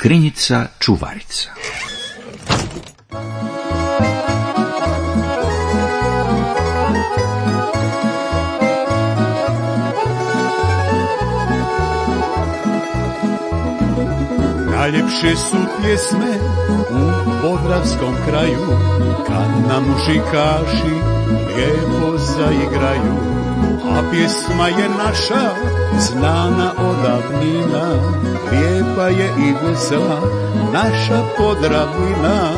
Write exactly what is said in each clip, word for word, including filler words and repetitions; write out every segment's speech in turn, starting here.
Škrinjica čuvarica. Najljepše su pjesme u podravskom kraju, kad nam muzikaši lijepo zaigraju. A pjesma je naša, znana odavnina, lijepa je i vesela naša Podravina.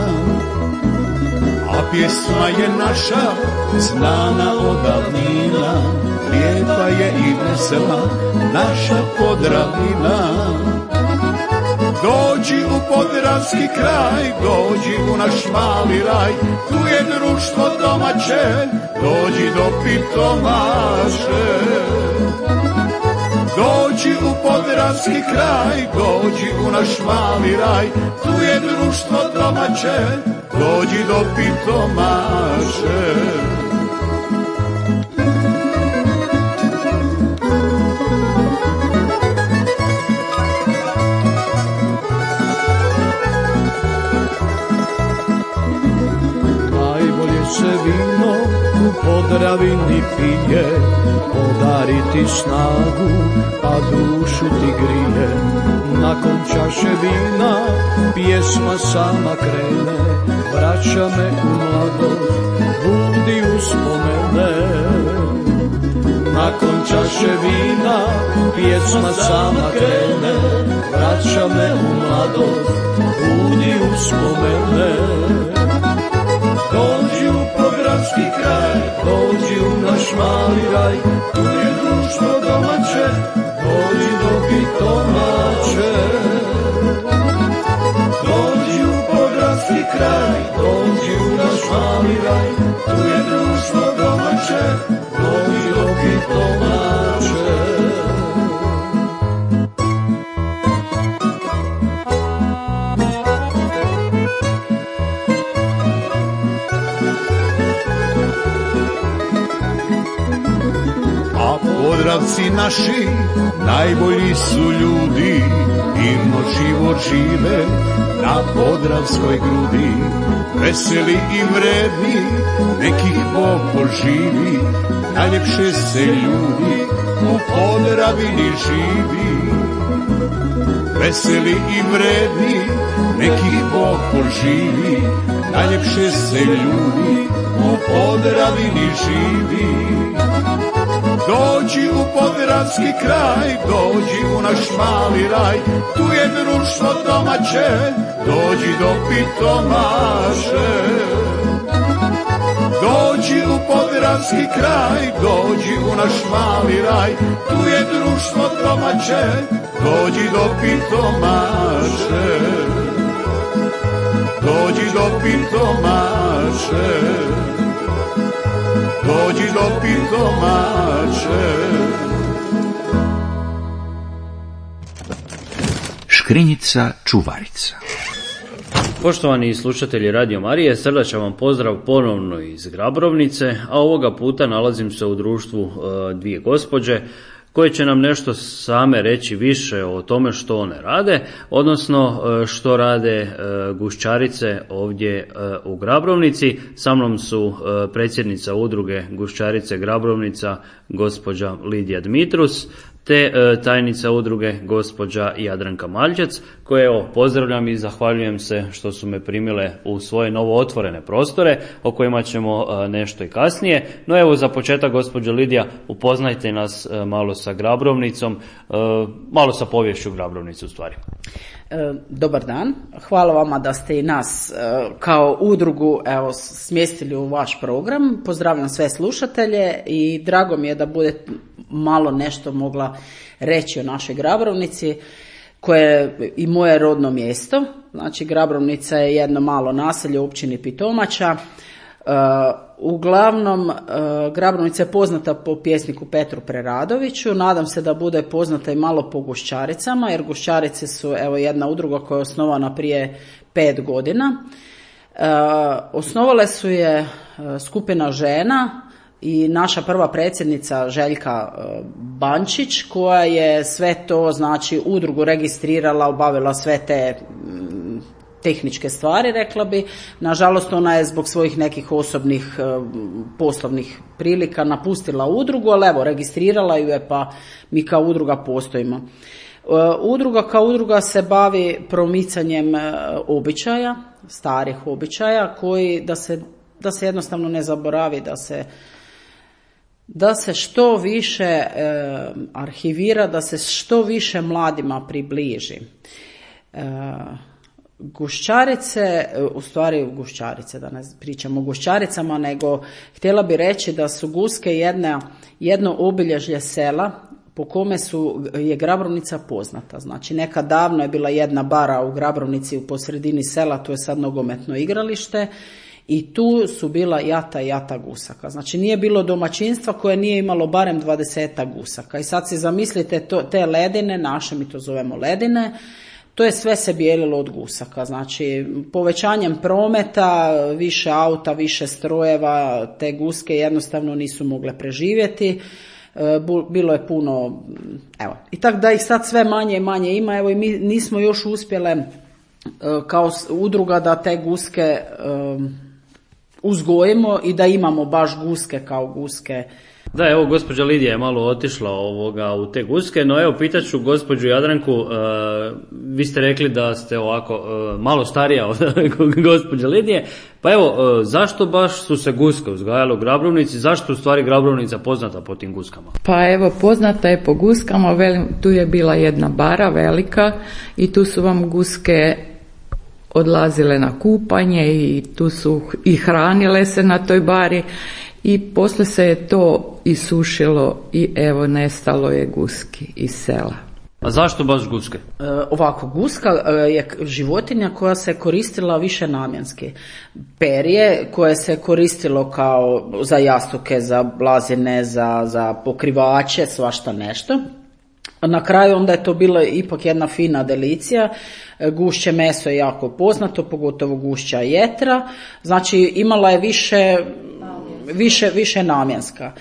A pjesma je naša, znana odavnina, lijepa je i vesela naša Podravina. Dođi u podravski kraj, dođi u naš mali raj, tu je društvo domaće, dođi do pitomaše. Dođi u podravski kraj, dođi u naš mali raj, tu je društvo domaće, dođi do pitomaše. Se vino u Podravini pije, podariti snagu, a dušu ti grije. Nakon čaše vina pjesma sama krene, vraća me u mladost, budi uspomene. Nakon čaše vina pjesma sama krene, vraća me u mladost, budi uspomene. Dođi u podravski kraj, dođi u naš mali raj, tu je društvo domaće, dođi do pitomače. Dođi u podravski kraj, dođi u naš mali raj, tu je društvo domaće, dođi do pitomače. Podravci naši najbolji su ljudi, divno život žive na podravskoj grudi. Veseli i vredni, nekih Bog poživi, najljepše se ljudi u Podravini živi. Veseli i vredni, nekih Bog poživi, najljepše se ljudi u Podravini živi. Dođi u podravski kraj, dođi u naš mali raj, tu je društvo domaće, dođi do pitomaše. Dođi u podravski kraj, dođi u naš mali raj, tu je društvo domaće, dođi do pitomaše. Dođi do pitomaše. Dođi do pitomače. Škrinjica čuvarica. Poštovani slušatelji Radio Marije, srdačan vam pozdrav ponovno iz Grabrovnice, a ovoga puta nalazim se u društvu e, dvije gospođe koje će nam nešto same reći više o tome što one rade, odnosno što rade gušćarice ovdje u Grabrovnici. Sa mnom su predsjednica udruge Gušćarice Grabrovnica, gospođa Lidija Dmitrus, te tajnica udruge gospođa Jadranka Maljčec, koje evo pozdravljam i zahvaljujem se što su me primile u svoje novo otvorene prostore, o kojima ćemo nešto i kasnije. No evo za početak, gospođo Lidija, upoznajte nas malo sa Grabrovnicom, malo sa poviješću Grabrovnice u stvari. Dobar dan, hvala vama da ste i nas kao udrugu evo, smjestili u vaš program. Pozdravljam sve slušatelje i drago mi je da bude malo nešto mogla reći o našoj Grabrovnici, koje je i moje rodno mjesto. Znači, Grabrovnica je jedno malo naselje u općini Pitomača. Uh, uglavnom, uh, Grabrovnica je poznata po pjesniku Petru Preradoviću. Nadam se da bude poznata i malo po gušćaricama, jer gušćarice su evo jedna udruga koja je osnovana prije pet godina. Uh, osnovale su je uh, skupina žena i naša prva predsjednica Željka Bančić, koja je sve to, znači, udrugu registrirala, obavila sve te tehničke stvari, rekla bi. Nažalost, ona je zbog svojih nekih osobnih poslovnih prilika napustila udrugu, ali evo, registrirala ju je, pa mi kao udruga postojimo. Udruga kao udruga se bavi promicanjem običaja, starih običaja, koji da se, da se jednostavno ne zaboravi, da se da se što više e, arhivira, da se što više mladima približi. E, Gušćarice, u stvari Gušćarice, da ne pričamo o Gušćaricama, nego htjela bi reći da su Guske jedna, jedno obilježje sela po kome su, je Grabrovnica poznata. Znači, nekad davno je bila jedna bara u Grabrovnici u posredini sela, to je sad nogometno igralište, i tu su bila jata i jata gusaka. Znači, nije bilo domaćinstva koje nije imalo barem dvadesetak gusaka. I sad si zamislite to, te ledine, naše mi to zovemo ledine, to je sve se bijelilo od gusaka. Znači, povećanjem prometa, više auta, više strojeva, te guske jednostavno nisu mogle preživjeti. Bilo je puno, evo, i tako da ih sad sve manje i manje ima, evo, i mi nismo još uspjele kao udruga da te guske um, uzgojimo i da imamo baš guske kao guske. Da, evo, gospođa Lidija je malo otišla ovoga u te guske, no evo, pitat ću gospođu Jadranku, uh, vi ste rekli da ste ovako uh, malo starija od gospođe Lidije, pa evo, uh, zašto baš su se guske uzgajale u Grabrovnici, zašto u stvari Grabrovnica poznata po tim guskama? Pa evo, poznata je po guskama, velim, tu je bila jedna bara velika i tu su vam guske odlazile na kupanje i tu su i hranile se na toj bari. I poslije se je to isušilo i evo, nestalo je guski iz sela. A zašto baš guske? E, ovako, guska je životinja koja se koristila više namjenski. Perje koje se koristilo kao za jastuke, za blazine, za, za pokrivače, svašta nešto. Na kraju onda je to bila ipak jedna fina delicija. Gušće meso je jako poznato, pogotovo gušća jetra. Znači, imala je više... Više, više namjenska.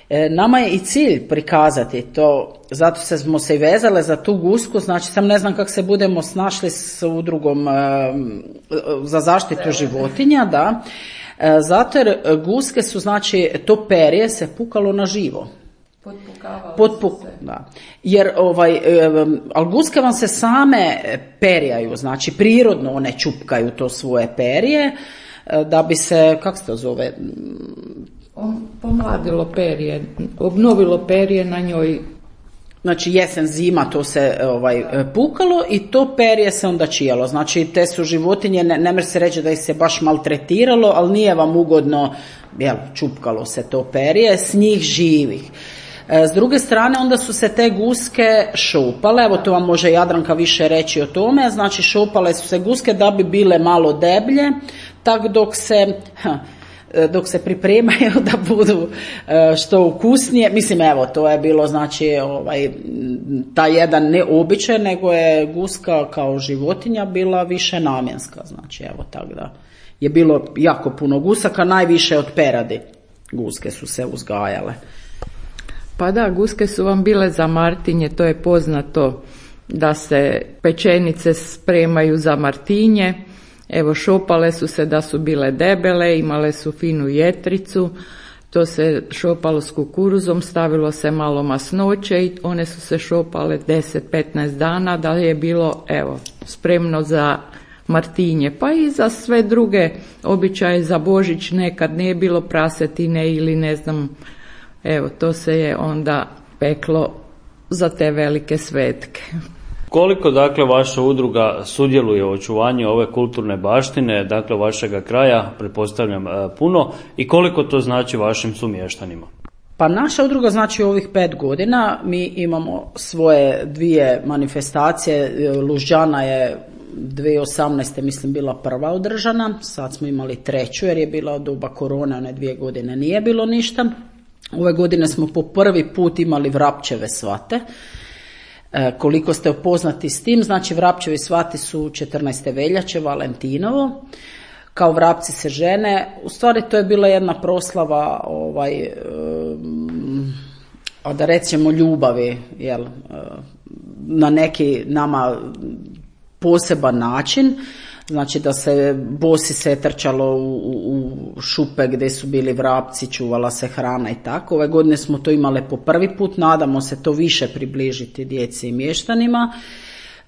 E, nama je i cilj prikazati to, zato se smo se i vezale za tu gusku, znači sam ne znam kako se budemo snašli s udrugom e, za zaštitu životinja, da, e, zato jer guske su, znači, to perje se pukalo na živo. Potpuk, da. Jer ovaj, e, ali guske vam se same perjaju, znači prirodno one čupkaju to svoje perje, da bi se, kako se to zove? Pomladilo perje, obnovilo perje na njoj. Znači, jesen, zima to se ovaj, pukalo i to perje se onda čijalo. Znači, te su životinje, ne, ne može se reći da ih se baš maltretiralo, ali nije vam ugodno, jel, čupkalo se to perje, s njih živih. S druge strane, onda su se te guske šopale, evo to vam može Jadranka više reći o tome, znači šopale su se guske da bi bile malo deblje, tak dok se, dok se pripremaju da budu što ukusnije. Mislim, evo, to je bilo, znači, ovaj, ta jedan ne običaj, nego je guska kao životinja bila više namjenska, znači, evo, tako da je bilo jako puno gusaka, najviše od peradi guske su se uzgajale. Pa da, guske su vam bile za Martinje, to je poznato da se pečenice spremaju za Martinje. Evo, šopale su se da su bile debele, imale su finu jetricu, to se šopalo s kukuruzom, stavilo se malo masnoće i one su se šopale deset do petnaest dana da je bilo, evo, spremno za Martinje. Pa i za sve druge običaje, za Božić nekad nije bilo prasetine ili ne znam. Evo, to se je onda peklo za te velike svetke. Koliko, dakle, vaša udruga sudjeluje u očuvanju ove kulturne baštine, dakle, vašega kraja, pretpostavljam puno, i koliko to znači vašim sumještanima? Pa naša udruga, znači, ovih pet godina mi imamo svoje dvije manifestacije. Lužđana je dvije tisuće osamnaeste mislim bila prva održana, sad smo imali treću jer je bila od doba korone, one dvije godine nije bilo ništa. Ove godine smo po prvi put imali Vrapčeve svate. E, koliko ste upoznati s tim, znači Vrapčevi svati su četrnaeste veljače, Valentinovo. kao vrapci se žene. U stvari to je bila jedna proslava ovaj, a da rećemo ljubavi, jel, na neki nama poseban način. Znači da se bosi se trčalo u, u, u šupe gdje su bili vrapci, čuvala se hrana i tako. Ove godine smo to imali po prvi put, nadamo se to više približiti djeci i mještanima.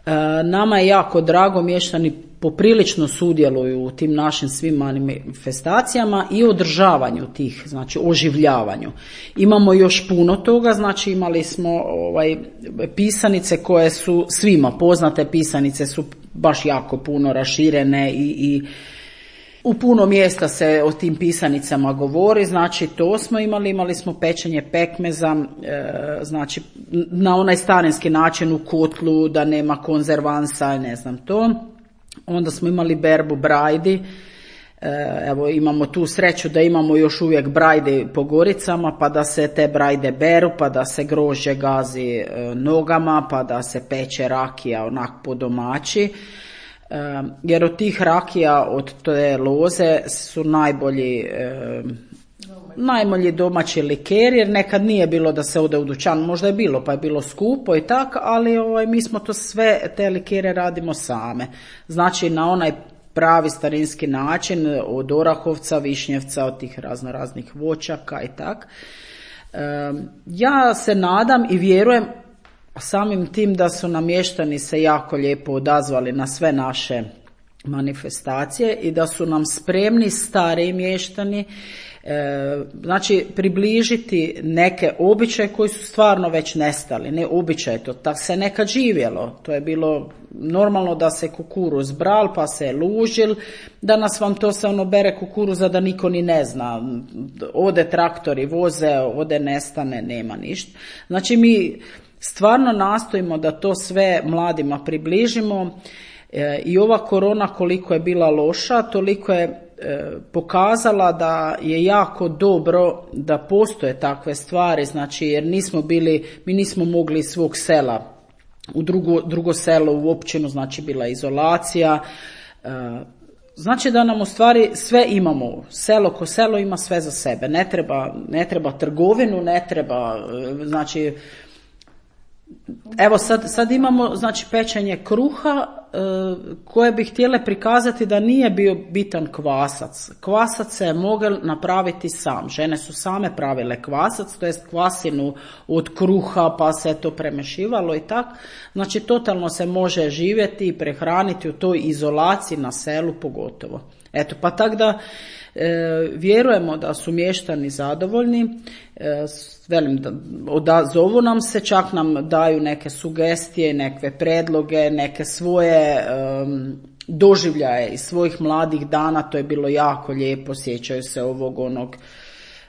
E, nama je jako drago, mještani poprilično sudjeluju u tim našim svim manifestacijama i održavanju tih, znači oživljavanju. Imamo još puno toga, znači imali smo ovaj, pisanice koje su svima poznate, pisanice su baš jako puno raširene i, i u puno mjesta se o tim pisanicama govori, znači to smo imali, imali smo pečenje pekmeza, e, znači na onaj starinski način u kotlu, da nema konzervansa, ne znam to. Onda smo imali berbu brajdi, e, evo imamo tu sreću da imamo još uvijek brajde po Goricama, pa da se te brajde beru, pa da se grožđe gazi e, nogama, pa da se peče rakija onak po domaći. E, jer od tih rakija, od te loze su najbolji e, najbolji domaći likeri, jer nekad nije bilo da se ode u dućan, možda je bilo pa je bilo skupo i tako, ali ovaj, mi smo to sve, te likere radimo same. Znači na onaj pravi starinski način, od orahovca, višnjevca, od tih razno raznih voćaka i tak. E, ja se nadam i vjerujem samim tim da su namještani se jako lijepo odazvali na sve naše manifestacije i da su nam spremni stariji mještani, e, znači približiti neke običaje koji su stvarno već nestali, ne običaje, to tako se nekad živjelo, to je bilo normalno da se kukuruz bral pa se lužil, danas vam to se ono bere kukuruza da niko ni ne zna, ode traktori voze, ode nestane, nema ništa. Znači mi stvarno nastojimo da to sve mladima približimo. E, I ova korona koliko je bila loša, toliko je e, pokazala da je jako dobro da postoje takve stvari, znači jer nismo bili, mi nismo mogli iz svog sela u drugo, drugo selo, u općinu, znači bila izolacija. E, znači da nam u stvari sve imamo, selo ko selo ima sve za sebe, ne treba, ne treba trgovinu, ne treba, znači evo sad, sad imamo znači pečenje kruha e, koje bi htjele prikazati da nije bio bitan kvasac. Kvasac se je mogel napraviti sam. Žene su same pravile kvasac, to jest kvasinu od kruha pa se to premešivalo i tak. Znači totalno se može živjeti i prehraniti u toj izolaciji na selu pogotovo. Eto pa tak da e, vjerujemo da su mještani zadovoljni, e, velim da odazovu nam se, čak nam daju neke sugestije, neke predloge, neke svoje um, doživljaje iz svojih mladih dana, to je bilo jako lijepo, sjećaju se ovog onog,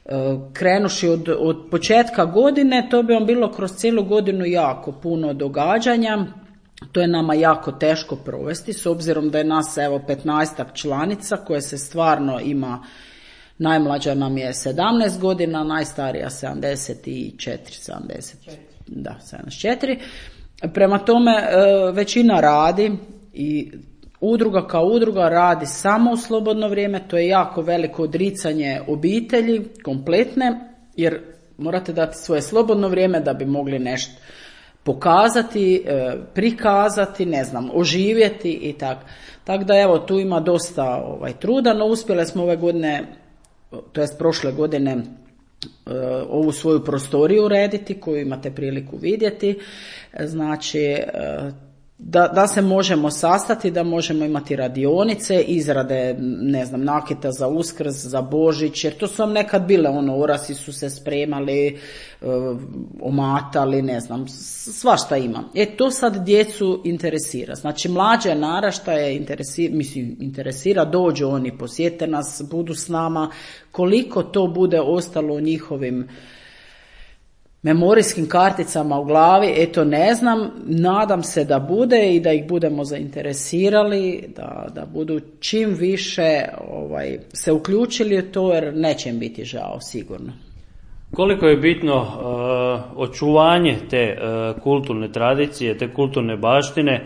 uh, krenuši od, od početka godine, to bi vam bilo kroz cijelu godinu jako puno događanja. To je nama jako teško provesti, s obzirom da je nas evo petnaestak članica koje se stvarno ima. Najmlađa nam je sedamnaest godina, najstarija sedamdeset četiri, sedamdeset, da, sedamdeset četiri. Prema tome većina radi i udruga kao udruga radi samo u slobodno vrijeme, to je jako veliko odricanje obitelji kompletne, jer morate dati svoje slobodno vrijeme da bi mogli nešto pokazati, prikazati, ne znam, oživjeti i tako. Tako da evo tu ima dosta ovaj, truda, no uspjele smo ove godine, to jest prošle godine, ovu svoju prostoriju urediti koju imate priliku vidjeti, znači da, da se možemo sastati, da možemo imati radionice, izrade, ne znam, nakita za Uskrs, za Božić, jer to su vam nekad bile, ono, orasi su se spremali, omatali, ne znam, svašta ima. E, to sad djecu interesira. Znači, mlađe naraštaje interesira, mislim, interesira, dođu oni, posjete nas, budu s nama, koliko to bude ostalo u njihovim memorijskim karticama u glavi, eto ne znam, nadam se da bude i da ih budemo zainteresirali, da, da budu čim više ovaj, se uključili u to, jer neće im biti žao sigurno. Koliko je bitno uh, očuvanje te uh, kulturne tradicije, te kulturne baštine,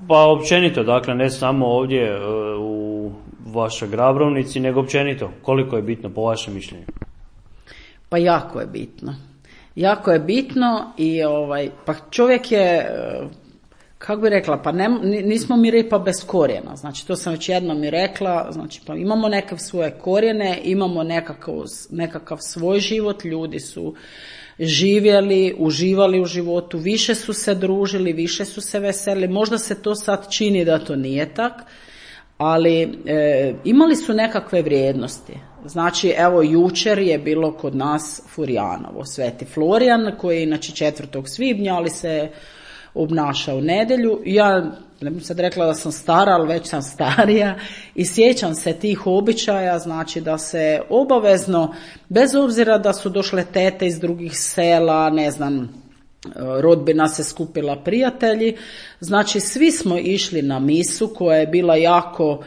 pa općenito, dakle ne samo ovdje uh, u vašoj Grabrovnici, nego općenito? Koliko je bitno po vašem mišljenju? Pa jako je bitno. Jako je bitno i ovaj, pa čovjek je, kako bi rekla, pa ne, nismo mi ripa bez korijena. Znači, to sam već jednom i rekla, znači, pa imamo neke svoje korijene, imamo nekakav, nekakav svoj život, ljudi su živjeli, uživali u životu, više su se družili, više su se veselili. Možda se to sad čini da to nije tak, ali e, imali su nekakve vrijednosti. Znači, evo, jučer je bilo kod nas Furjanovo, Sveti Florijan, koji je inače četvrtog svibnja, ali se obnaša u nedjelju. Ja ne bih sad rekla da sam stara, ali već sam starija i sjećam se tih običaja, znači da se obavezno, bez obzira da su došle tete iz drugih sela, ne znam, rodbina se skupila, prijatelji, znači svi smo išli na misu koja je bila jako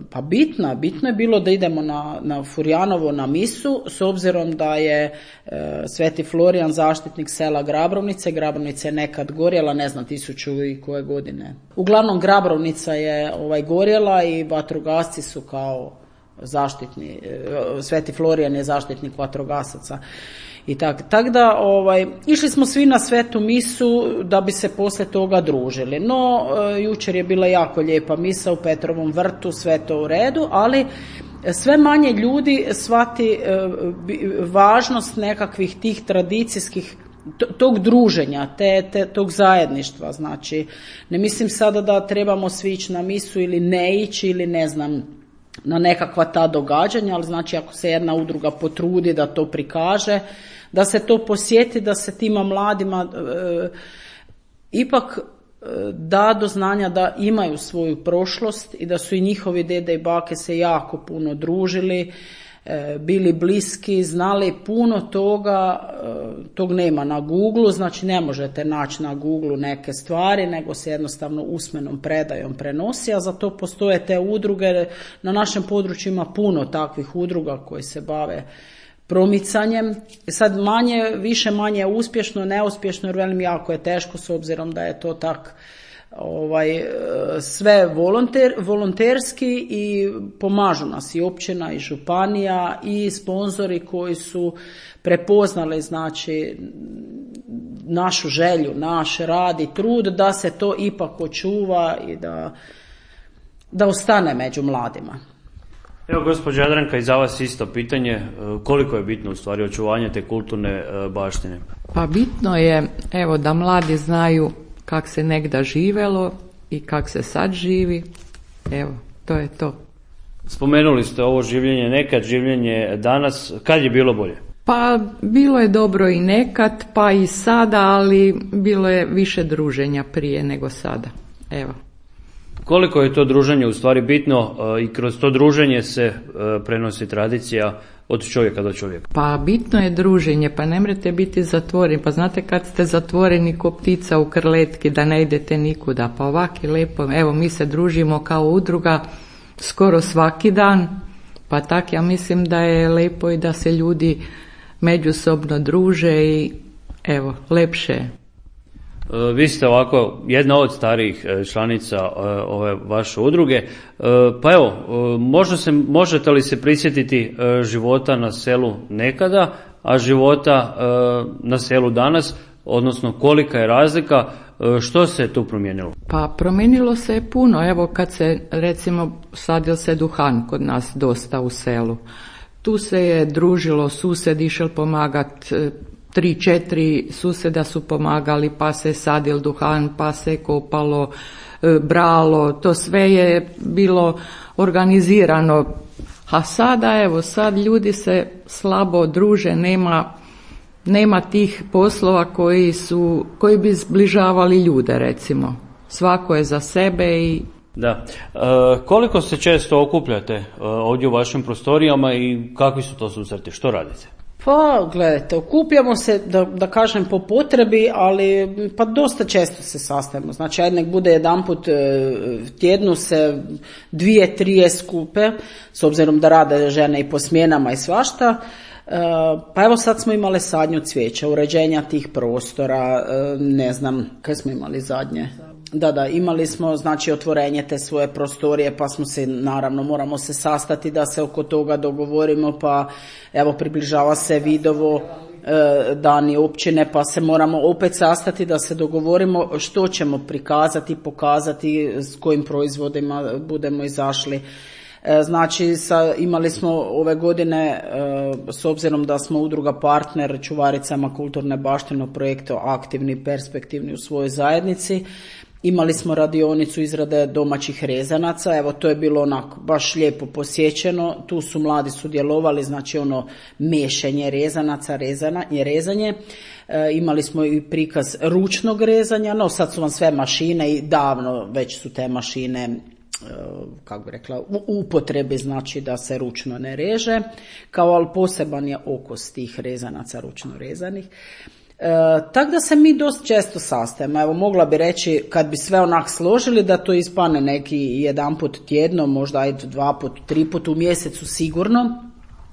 pa bitna, bitno je bilo da idemo na, na Furjanovo na misu, s obzirom da je e, Sveti Florijan zaštitnik sela Grabrovnice. Grabrovnica je nekad gorjela, ne znam, tisuću i koje godine. Uglavnom Grabrovnica je ovaj, gorjela i vatrogasci su kao zaštitni, e, Sveti Florijan je zaštitnik vatrogasaca. I tak, tak da ovaj, išli smo svi na svetu misu da bi se poslije toga družili. No, e, jučer je bila jako lijepa misa u Petrovom vrtu, sve to u redu, ali sve manje ljudi shvati e, važnost nekakvih tih tradicijskih, tog druženja, te, te, tog zajedništva. Znači, ne mislim sada da trebamo svi ići na misu ili ne ići ili ne znam, na nekakva ta događanja, ali znači ako se jedna udruga potrudi da to prikaže, da se to posjeti, da se tima mladima e, ipak e, da do znanja da imaju svoju prošlost i da su i njihovi dede i bake se jako puno družili, e, bili bliski, znali puno toga, e, tog nema na Google, znači ne možete naći na Google neke stvari, nego se jednostavno usmenom predajom prenosi, a za to postoje te udruge. Na našem području ima puno takvih udruga koji se bave promicanjem. Sad manje, više manje uspješno, neuspješno, jer velim jako je teško s obzirom da je to tak ovaj, sve volonter, volonterski i pomažu nas i općina i županija i sponzori koji su prepoznali znači našu želju, naš rad i trud da se to ipak očuva i da, da ostane među mladima. Evo, gospođa Jadranka, i za vas isto pitanje, koliko je bitno u stvari očuvanje te kulturne baštine? Pa bitno je, evo, da mladi znaju kak se nekda živelo i kak se sad živi, evo, to je to. Spomenuli ste ovo življenje nekad, življenje danas, kad je bilo bolje? Pa bilo je dobro i nekad, pa i sada, ali bilo je više druženja prije nego sada, evo. Koliko je to druženje u stvari bitno i kroz to druženje se prenosi tradicija od čovjeka do čovjeka? Pa bitno je druženje, pa ne mrete biti zatvoreni. Pa znate kad ste zatvoreni ko ptica u krletki da ne idete nikuda. Pa ovak je lijepo, evo mi se družimo kao udruga skoro svaki dan, pa tak ja mislim da je lijepo i da se ljudi međusobno druže i evo, lepše je. Vi ste ovako jedna od starijih članica ove vaše udruge, pa evo, možda se, možete li se prisjetiti života na selu nekada, a života na selu danas, odnosno kolika je razlika, što se tu promijenilo? Pa promijenilo se je puno, evo kad se recimo sadil se duhan kod nas dosta u selu, tu se je družilo, sused išel pomagat, tri, četiri susjeda su pomagali, pa se sadil duhan, pa se kopalo, bralo, to sve je bilo organizirano. A sada, evo, sad ljudi se slabo druže, nema, nema tih poslova koji su, koji bi zbližavali ljude, recimo. Svako je za sebe i... Da. E, koliko se često okupljate e, ovdje u vašim prostorijama i kakvi su to susreti? Što radite? Pa, gledajte, okupljamo se, da, da kažem, po potrebi, ali pa dosta često se sastajemo. Znači, ajde nek bude jedanput tjednu se dvije, trije skupe, s obzirom da rade žene i po smjenama i svašta. Pa evo sad smo imali sadnju cvijeća, uređenja tih prostora, ne znam, kaj smo imali zadnje? Da, da, imali smo znači otvorenje te svoje prostorije, pa smo se, naravno, moramo se sastati da se oko toga dogovorimo, pa evo približava se Vidovo, e, dani općine, pa se moramo opet sastati da se dogovorimo što ćemo prikazati, pokazati, s kojim proizvodima budemo izašli. E, znači, sa, imali smo ove godine, e, s obzirom da smo udruga partner čuvaricama kulturne baštine u projektu aktivni i perspektivni u svojoj zajednici, imali smo radionicu izrade domaćih rezanaca, evo to je bilo onako baš lijepo posjećeno, tu su mladi sudjelovali, znači ono mešanje rezanaca, rezana, rezanje, e, imali smo i prikaz ručnog rezanja, no sad su vam sve mašine i davno već su te mašine, kako bi rekla, u upotrebi, znači da se ručno ne reže, kao ali poseban je okus tih rezanaca ručno rezanih. E, tako da se mi dosta često sastajemo. Evo, mogla bi reći, kad bi sve onak složili, da to ispane neki jedan put tjedno, možda i dva put, tri put u mjesecu sigurno,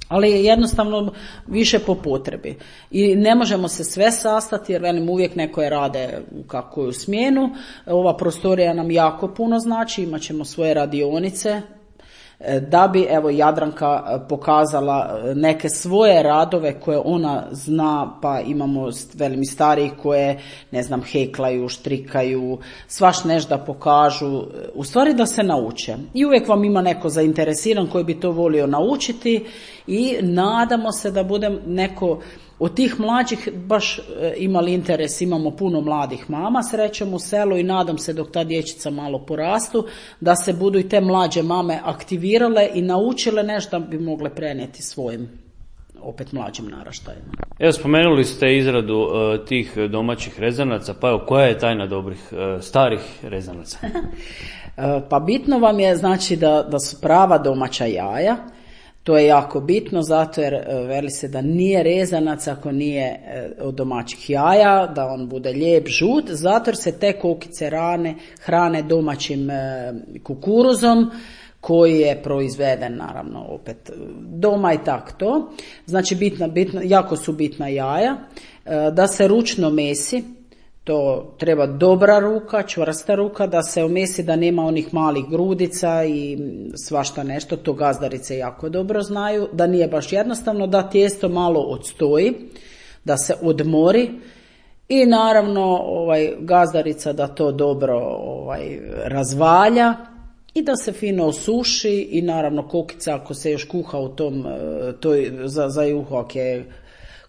ali je jednostavno više po potrebi. I ne možemo se sve sastati, jer velim, uvijek neko je rade u kakvu smjenu. Ova prostorija nam jako puno znači, imat ćemo svoje radionice, da bi, evo, Jadranka pokazala neke svoje radove koje ona zna, pa imamo, velim, i starijih koje, ne znam, heklaju, štrikaju, svaš nešto pokažu, u stvari da se nauče. I uvijek vam ima neko zainteresiran koji bi to volio naučiti i nadamo se da bude neko od tih mlađih baš imali interes. Imamo puno mladih mama, srećom, u selu, i nadam se dok ta dječica malo porastu, da se budu i te mlađe mame aktivirale i naučile nešto da bi mogle prenijeti svojim opet mlađim naraštajima. Evo, spomenuli ste izradu uh, tih domaćih rezanaca, pa evo, koja je tajna dobrih uh, starih rezanaca? Pa bitno vam je, znači, da, da su prava domaća jaja. To je jako bitno, zato jer veli se da nije rezanac ako nije od domaćih jaja, da on bude lijep, žut, zato jer se te kokice rane, hrane domaćim kukuruzom koji je proizveden, naravno, opet doma i tako to. Znači, bitna, bitna, jako su bitna jaja, da se ručno mesi. To treba dobra ruka, čvrsta ruka, da se omesi, da nema onih malih grudica i svašta nešto, to gazdarice jako dobro znaju, da nije baš jednostavno, da tijesto malo odstoji, da se odmori i naravno ovaj, gazdarica da to dobro ovaj, razvalja i da se fino osuši i naravno kokica ako se još kuha u tom, toj, za, za juhak je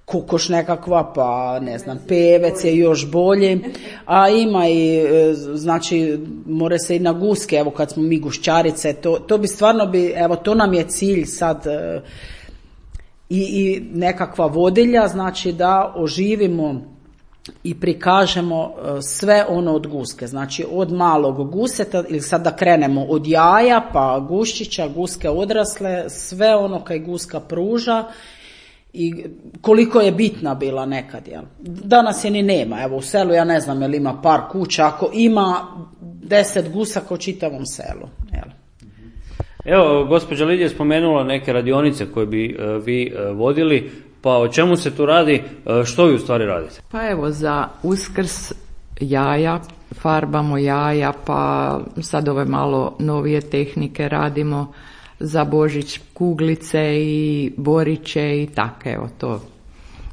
kukoš nekakva, pa ne znam, pevec je još bolji, a ima i, znači, more se i na guske, evo kad smo mi gušćarice, to, to bi stvarno bi, evo to nam je cilj sad, i, i nekakva vodilja, znači da oživimo i prikažemo sve ono od guske, znači od malog guseta, ili sad da krenemo od jaja, pa guščića, guske odrasle, sve ono kaj guska pruža, i koliko je bitna bila nekad, jel? Danas je ni nema, evo u selu ja ne znam jel ima par kuća, ako ima deset gusaka u čitavom selu, jel? Evo, gospođa Lidija je spomenula neke radionice koje bi uh, vi uh, vodili, pa o čemu se tu radi, uh, što vi u stvari radite? Pa evo, za Uskrs jaja, farbamo jaja, pa sad ove malo novije tehnike radimo, za Božić kuglice i boriće i tako, evo to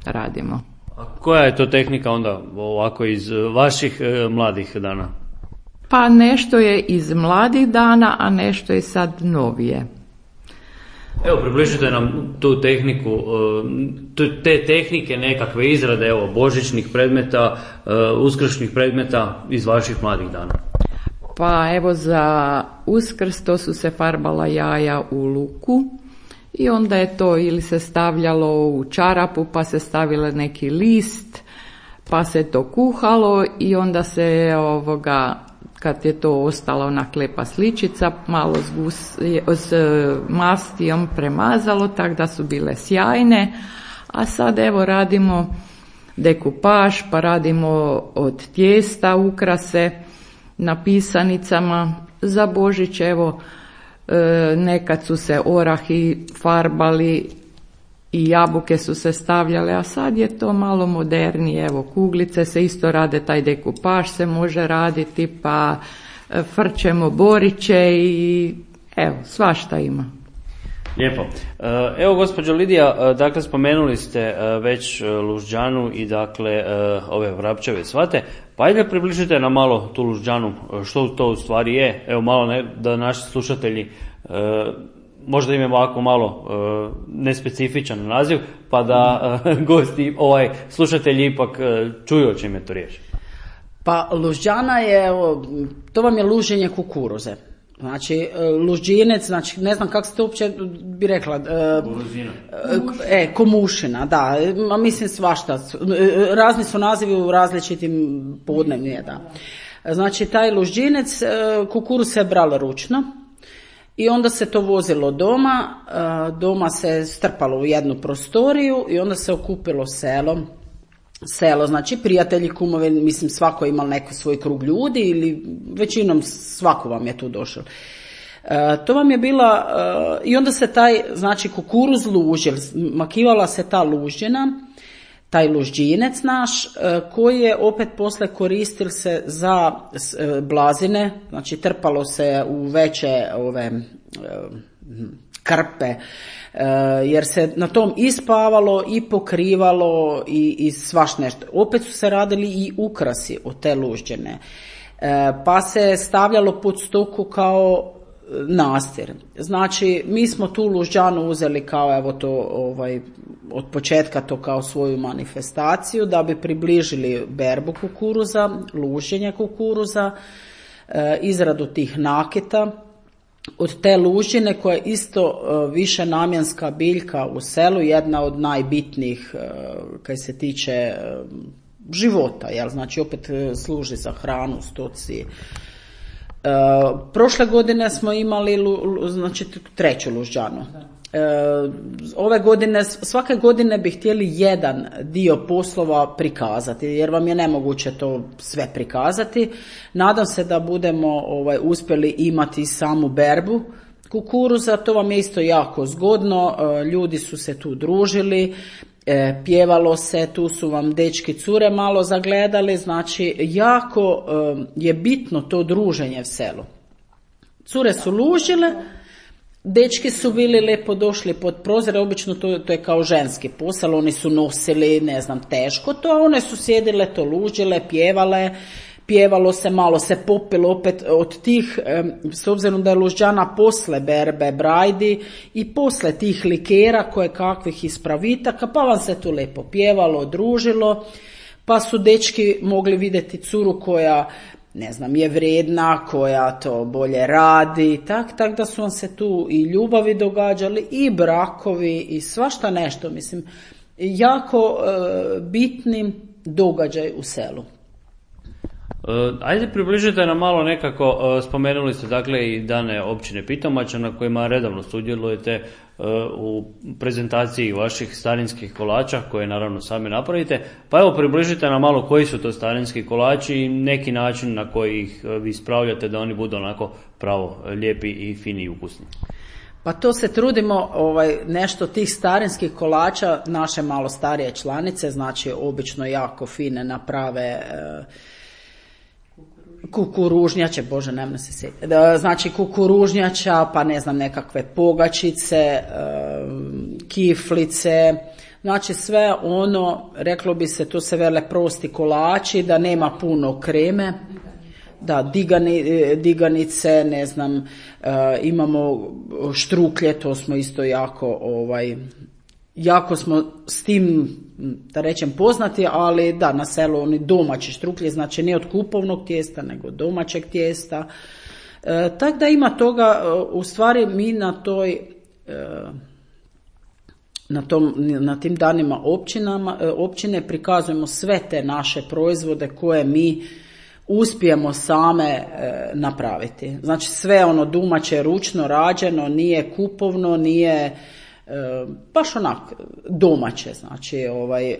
radimo. A koja je to tehnika onda ovako iz vaših e, mladih dana? Pa nešto je iz mladih dana, a nešto je sad novije. Evo, približite nam tu tehniku, te tehnike nekakve izrade, evo, božićnih predmeta, uskršnjih predmeta iz vaših mladih dana. Pa evo, za Uskrs to su se farbala jaja u luku i onda je to ili se stavljalo u čarapu, pa se stavilo neki list, pa se to kuhalo i onda se ovoga, kad je to ostala ona klepa sličica, malo s, gus, s mastijom premazalo, tako da su bile sjajne. A sad evo radimo dekupaž, pa radimo od tijesta ukrase na pisanicama. Za Božić evo nekad su se orahi farbali i jabuke su se stavljale, a sad je to malo modernije. Evo, kuglice se isto rade, taj dekupaž se može raditi, pa frčemo boriće i evo, svašta ima. Lijepo. Evo, gospođo Lidija, dakle, spomenuli ste već lužđanu i dakle ove vrapčeve svate, pa ajde približite nam malo tu lužđanu, što to u stvari je, evo malo ne, da naši slušatelji možda im je ovako malo nespecifičan naziv, pa da gosti, ovaj, slušatelji ipak čuju o čem je to riječ. Pa lužđana je, to vam je luženje kukuruze. Znači, lužđinec, znači, ne znam kako se to uopće bi rekla. E, komušina, da, a mislim svašta. Razni su nazivi u različitim podnevnije, da. Znači, taj lužđinec, kukuruz se bralo ručno i onda se to vozilo doma, doma se strpalo u jednu prostoriju i onda se okupilo selo. Selo, znači prijatelji, kumovi, mislim svako je imao neki svoj krug ljudi ili većinom svako vam je tu došao. E, to vam je bila, e, i onda se taj, znači kukuruz lužil, makivala se ta lužđina, taj lužđinec naš, e, koji je opet posle koristil se za e, blazine, znači trpalo se u veće ove e, krpe, jer se na tom ispavalo i pokrivalo i, i svaš nešto. Opet su se radili i ukrasi od te lužđene, pa se stavljalo pod stoku kao nastir. Znači, mi smo tu lužđanu uzeli kao, evo to, ovaj, od početka to kao svoju manifestaciju, da bi približili berbu kukuruza, luženje kukuruza, izradu tih nakita. Od te lužine koja je isto više namjenska biljka u selu, jedna od najbitnijih kaj se tiče života, jel? Znači opet služi za hranu, stoci. Prošle godine smo imali znači, treću lužđanu. Ove godine, svake godine bi htjeli jedan dio poslova prikazati, jer vam je nemoguće to sve prikazati. Nadam se da budemo ovaj, uspjeli imati samu berbu kukuruza, to vam je isto jako zgodno, ljudi su se tu družili, pjevalo se, tu su vam dečki cure malo zagledali, znači jako je bitno to druženje u selu. Cure su lužile, dečki su bili lepo došli pod prozore, obično to, to je kao ženski posao, oni su nosili, ne znam, teško to, a one su sjedile, to lužile, pjevale, pjevalo se, malo se popilo opet od tih, s obzirom da je lužđana posle berbe brajdi i posle tih likera koje kakvih ispravitaka, pa vam se tu lepo pjevalo, družilo, pa su dečki mogli vidjeti curu koja, ne znam, je vrijedna, koja to bolje radi, tak, tak da su vam se tu i ljubavi događali, i brakovi, i svašta nešto, mislim, jako e, bitni događaj u selu. Ajde približite nam malo nekako, spomenuli ste dakle i dane općine Pitomača na kojima redovno sudjelujete u prezentaciji vaših starinskih kolača koje naravno sami napravite, pa evo približite nam malo koji su to starinski kolači i neki način na koji ih vi spravljate da oni budu onako pravo lijepi i fini i ukusni. Pa to se trudimo, ovaj, nešto tih starinskih kolača, naše malo starije članice, znači obično jako fine naprave e, kukuružnjače, bože, nemam se sjetiti, znači kukuružnjača, pa ne znam, nekakve pogačice, kiflice, znači sve ono, reklo bi se, to se vele prosti kolači, da nema puno kreme, da, digani, diganice, ne znam, imamo štruklje, to smo isto jako, ovaj, jako smo s tim, da rečem, poznati, ali da, na selu oni domaći štruklje, znači ne od kupovnog tijesta, nego domaćeg tijesta. E, tako da ima toga, u stvari mi na toj, e, na, tom, na tim danima općinama, općine prikazujemo sve te naše proizvode koje mi uspijemo same e, napraviti. Znači sve ono domaće, ručno rađeno, nije kupovno, nije baš onak domaće, znači ovaj,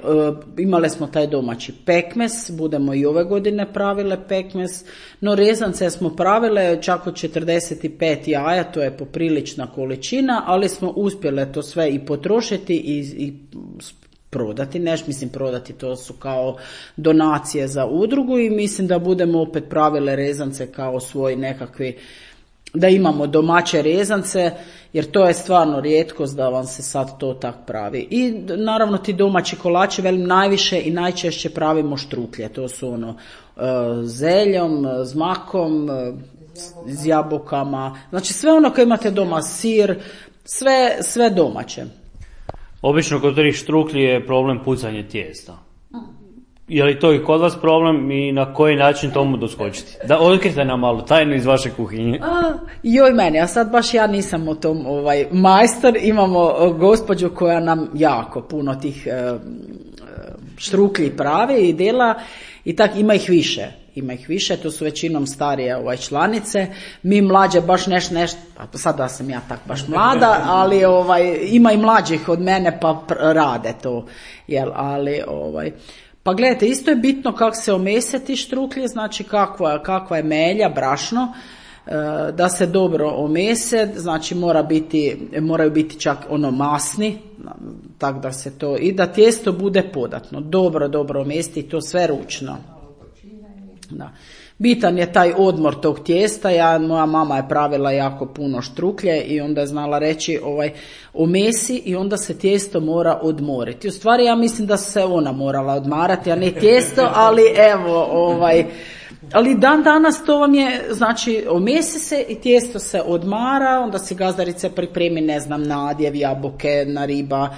imali smo taj domaći pekmez, budemo i ove godine pravile pekmez, no rezance smo pravile čak od četrdeset pet jaja, to je poprilična količina, ali smo uspjele to sve i potrošiti i, i prodati, neš mislim prodati, to su kao donacije za udrugu i mislim da budemo opet pravile rezance kao svoj nekakvi, da imamo domaće rezance, jer to je stvarno rijetkost da vam se sad to tak pravi. I naravno ti domaći kolači, velim, najviše i najčešće pravimo štruklje, to su ono zeljom, s makom, s jabukama, znači sve ono koje imate doma, sir, sve, sve domaće. Obično kod tih štrukli je problem pucanje tijesta. Je li to i kod vas problem i na koji način tomu doskočiti? Da otkrite nam malo tajnu iz vaše kuhinje. A, joj meni, a sad baš ja nisam u tom ovaj, majstor, imamo gospođu koja nam jako puno tih e, štruklji pravi i dela i tak ima ih više. Ima ih više, to su većinom starije ovaj, članice, mi mlađe baš nešto, nešto, pa sad da sam ja tak baš mlada, ali ovaj, ima i mlađih od mene pa pr- rade to, jel, ali ovaj, pa gledajte, isto je bitno kako se omese ti štruklje, znači kakva, kakva je melja, brašno, e, da se dobro omese, znači mora biti, moraju biti čak ono masni, tak da se to, i da tijesto bude podatno, dobro, dobro omesti, to sve ručno. Da. Bitan je taj odmor tog tijesta, ja, moja mama je pravila jako puno štruklje i onda je znala reći ovaj, omesi i onda se tijesto mora odmoriti. U stvari ja mislim da se ona morala odmarati, a ne tijesto, ali evo, ovaj, ali dan danas to vam je, znači omesi se i tijesto se odmara, onda si gazdarica pripremi, ne znam, nadjev, jabuke, na riba,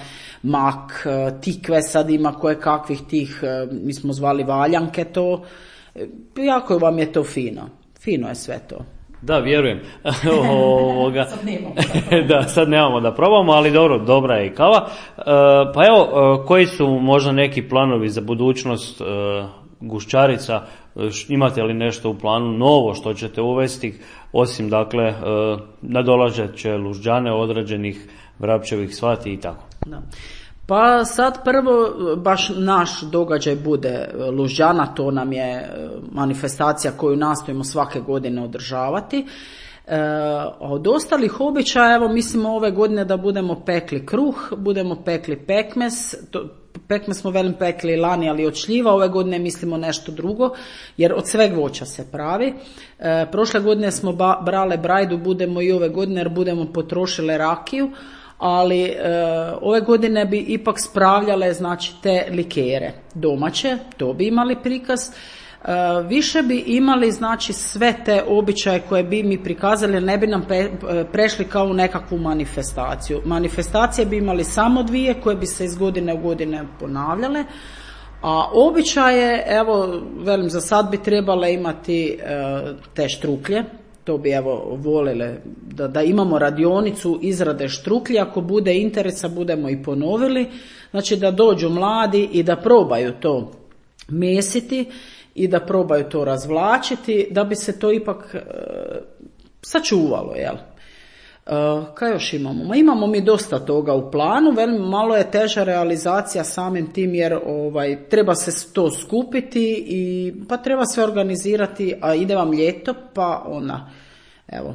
mak, tikve sad ima koje kakvih tih, mi smo zvali valjanke to, jako vam je to fino. Fino je sve to. Da, vjerujem. Ovoga. Sad nemamo da, da, sad nemamo da probamo, ali dobro, dobra je i kava. E, pa evo, koji su možda neki planovi za budućnost e, gušćarica? Imate li nešto u planu novo što ćete uvesti, osim dakle e, nadolažeće lužđane određenih vrapčevih svati i tako? Da. Pa sad prvo baš naš događaj bude lužđana, to nam je manifestacija koju nastojimo svake godine održavati. E, od ostalih običaja, evo mislimo ove godine da budemo pekli kruh, budemo pekli pekmez, to, pekmez smo velim pekli lani, ali od šljiva, ove godine mislimo nešto drugo, jer od sveg voća se pravi. E, prošle godine smo ba, brale brajdu, budemo i ove godine jer budemo potrošile rakiju, ali e, ove godine bi ipak spravljale znači te likere domaće, to bi imali prikaz. E, više bi imali znači sve te običaje koje bi mi prikazali, ne bi nam pe, prešli kao u nekakvu manifestaciju. Manifestacije bi imali samo dvije koje bi se iz godine u godine ponavljale, a običaje, evo velim, za sad bi trebale imati e, te štruklje. To bi evo volile da, da imamo radionicu izrade štruklje, ako bude interesa budemo i ponovili, znači da dođu mladi i da probaju to mesiti i da probaju to razvlačiti, da bi se to ipak e, sačuvalo, jel? E, kaj još imamo? Ma imamo mi dosta toga u planu, velim, malo je teža realizacija samim tim jer ovaj, treba se to skupiti i pa treba se organizirati, a ide vam ljeto pa ona, evo,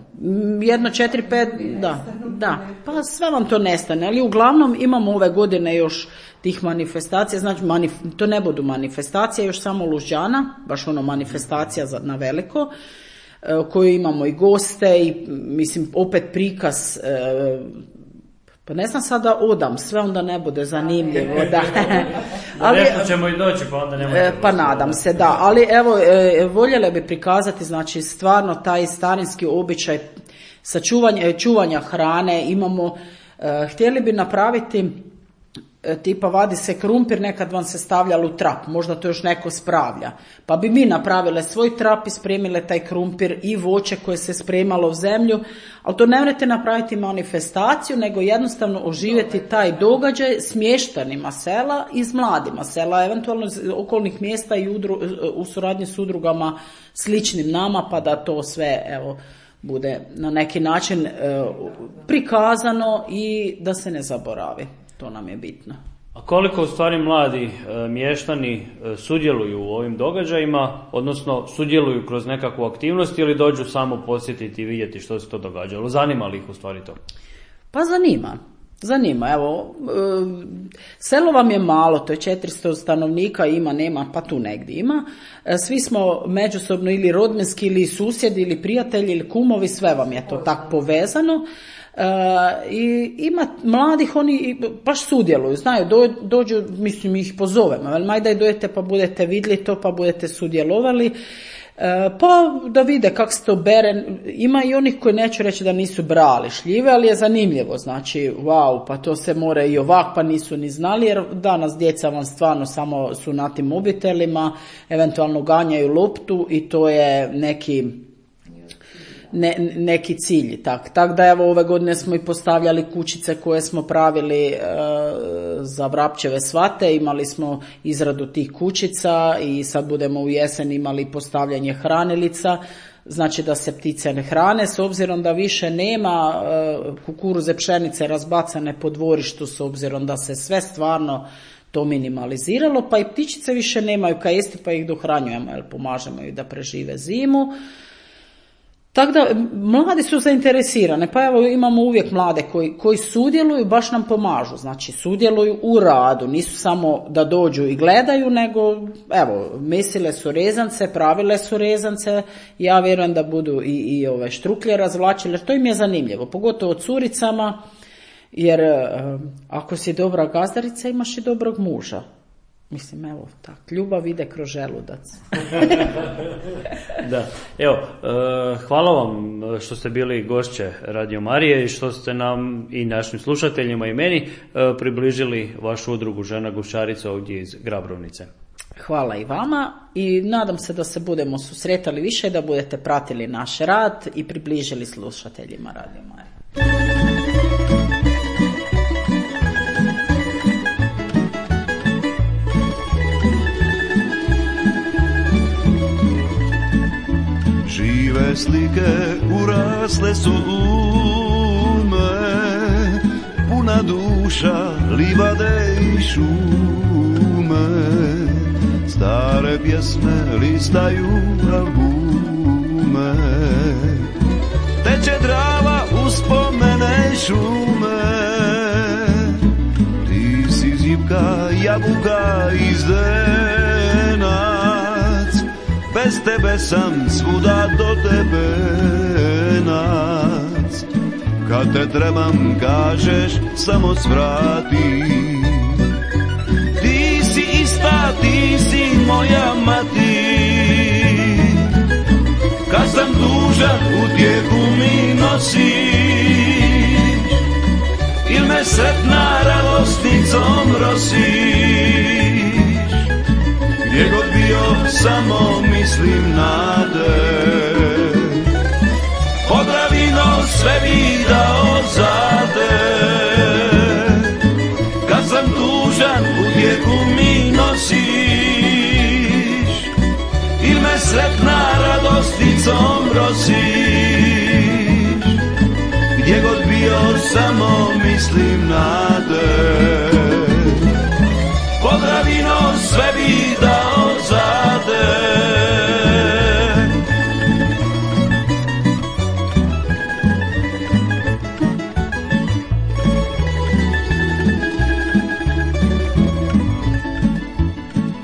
jedno, četiri, pet, da, da, pa sve vam to nestane, ali uglavnom imamo ove godine još tih manifestacija, znači manif, to ne budu manifestacije, još samo lužđana, baš ono manifestacija za, na veliko, koju imamo i goste i mislim opet prikaz, e, pa ne znam sada odam, sve onda ne bude zanimljivo. Da. Ali, nešto ćemo i doći pa onda nemojte. E, pa nadam se, da, ali evo e, voljela bi prikazati znači stvarno taj starinski običaj sačuvanja, čuvanja hrane, imamo, e, htjeli bi napraviti tipa vadi se krumpir, nekad vam se stavljalo u trap, možda to još neko spravlja, pa bi mi napravile svoj trap i spremile taj krumpir i voće koje se spremalo u zemlju, ali to ne morate napraviti manifestaciju, nego jednostavno oživjeti taj događaj s mještanima sela i s mladima sela, eventualno iz okolnih mjesta i udru, u suradnji s udrugama sličnim nama, pa da to sve evo bude na neki način prikazano i da se ne zaboravi. To nam je bitno. A koliko u stvari mladi e, mještani e, sudjeluju u ovim događajima, odnosno sudjeluju kroz nekakvu aktivnost ili dođu samo posjetiti i vidjeti što se to događalo? Zanima li ih u stvari to? Pa zanima. Zanima, evo, e, selo vam je malo, to je četiristo stanovnika, ima, nema, pa tu negdje ima. E, svi smo međusobno ili rodbinski, ili susjedi, ili prijatelji, ili kumovi, sve vam je to tako povezano. Uh, i ima mladih, oni baš sudjeluju, znaju, do, dođu, mislim ih pozovemo, ali maj da dojete pa budete vidjeli to, pa budete sudjelovali, uh, pa da vide kako se to bere. Ima i onih koji neću reći da nisu brali šljive, ali je zanimljivo, znači wow, pa to se mora i ovak, pa nisu ni znali, jer danas djeca vam stvarno samo su na tim mobitelima, eventualno ganjaju loptu i to je neki Ne, neki cilj. Tako tak da evo ove godine smo i postavljali kućice koje smo pravili e, za vrapčeve svate, imali smo izradu tih kućica i sad budemo u jesen imali postavljanje hranilica, znači da se ptice ne hrane, s obzirom da više nema e, kukuruze, pšenice razbacane po dvorištu, s obzirom da se sve stvarno to minimaliziralo, pa i ptičice više nemaju kaj jesti, pa ih dohranjujemo, jer pomažemo ih da prežive zimu. Tako da, mladi su zainteresirane, pa evo imamo uvijek mlade koji, koji sudjeluju, baš nam pomažu, znači sudjeluju u radu, nisu samo da dođu i gledaju, nego evo, mesile su rezance, pravile su rezance, ja vjerujem da budu i, i ove štruklje razvlačile, jer to im je zanimljivo, pogotovo curicama, jer ako si dobra gazdarica imaš i dobrog muža. Mislim, evo, tak, ljubav ide kroz želudac. Da, evo, hvala vam što ste bili gošće Radio Marije i što ste nam i našim slušateljima i meni približili vašu udrugu Žena Gušarica ovdje iz Grabrovnice. Hvala i vama i nadam se da se budemo susretali više, da budete pratili naš rad i približili slušateljima Radio Marije. Žive slike urasle su u me, puna duša livade i šume, stare pjesme listaju albume, teče Drava uspomene šume, ti si zipka, jabuka i zdenac, bez tebe sam svuda do tebe nac. Kad te trebam kažeš samo svrati, ti si ista, ti si moja mati. Kad sam tužan utjehu mi nosiš, il me sretna radosnicom rosiš. Gdje god bio samo mislim na te, Podravino sve bi dao za te. Kad sam tužan utjehu mi nosiš, il me sretna radosticom rosiš. Gdje god bio samo mislim na te, Podravino sve bi dao za te.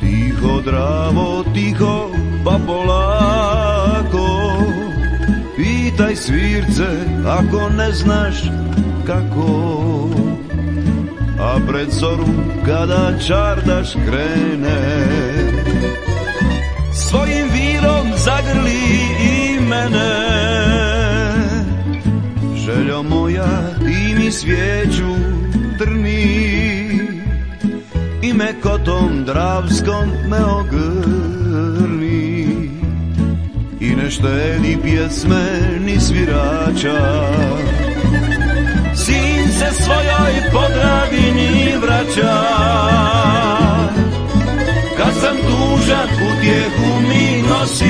Tiho Dravo, tiho pa polako, pitaj svirce ako ne znaš kako. A pred zoru kada čardaš krene, svojim virom zagrli i mene. Željo moja, ti mi svijeću trni i me kotom dravskom me ogrni. I ne štedi pjesme ni svirača, sin se svojoj Podravini vraća. Kad sam tužan utjehu mi nosiš,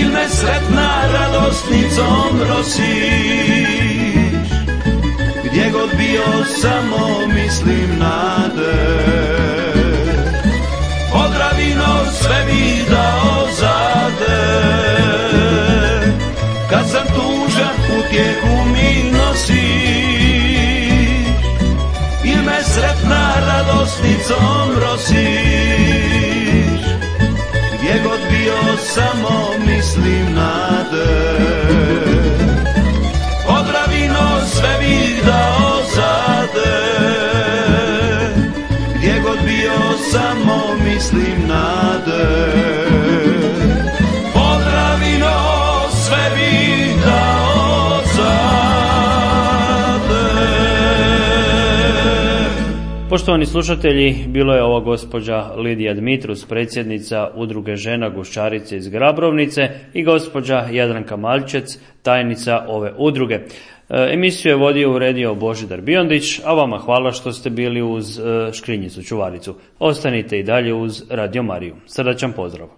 il me sretna radosnicom rosiš. Gdje god bio samo mislim na te. Podravino sve bi dao za te. Kad sam tužan utjehu mi nosiš. Il me sretna radosnicom rosiš. Gdje god bio samo mislim na te. Podravino sve bih dao za te. Gdje god bio samo mislim na te. Podravino sve bih dao za te. Poštovani slušatelji, bilo je ova gospođa Lidija Dmitrus, predsjednica Udruge žena Guščarice iz Grabrovnice, i gospođa Jadranka Maljčec, tajnica ove udruge. Emisiju je vodio i uredio Božidar Biondić, a vama hvala što ste bili uz Škrinjicu Čuvaricu. Ostanite i dalje uz Radio Mariju. Srdačan pozdrav.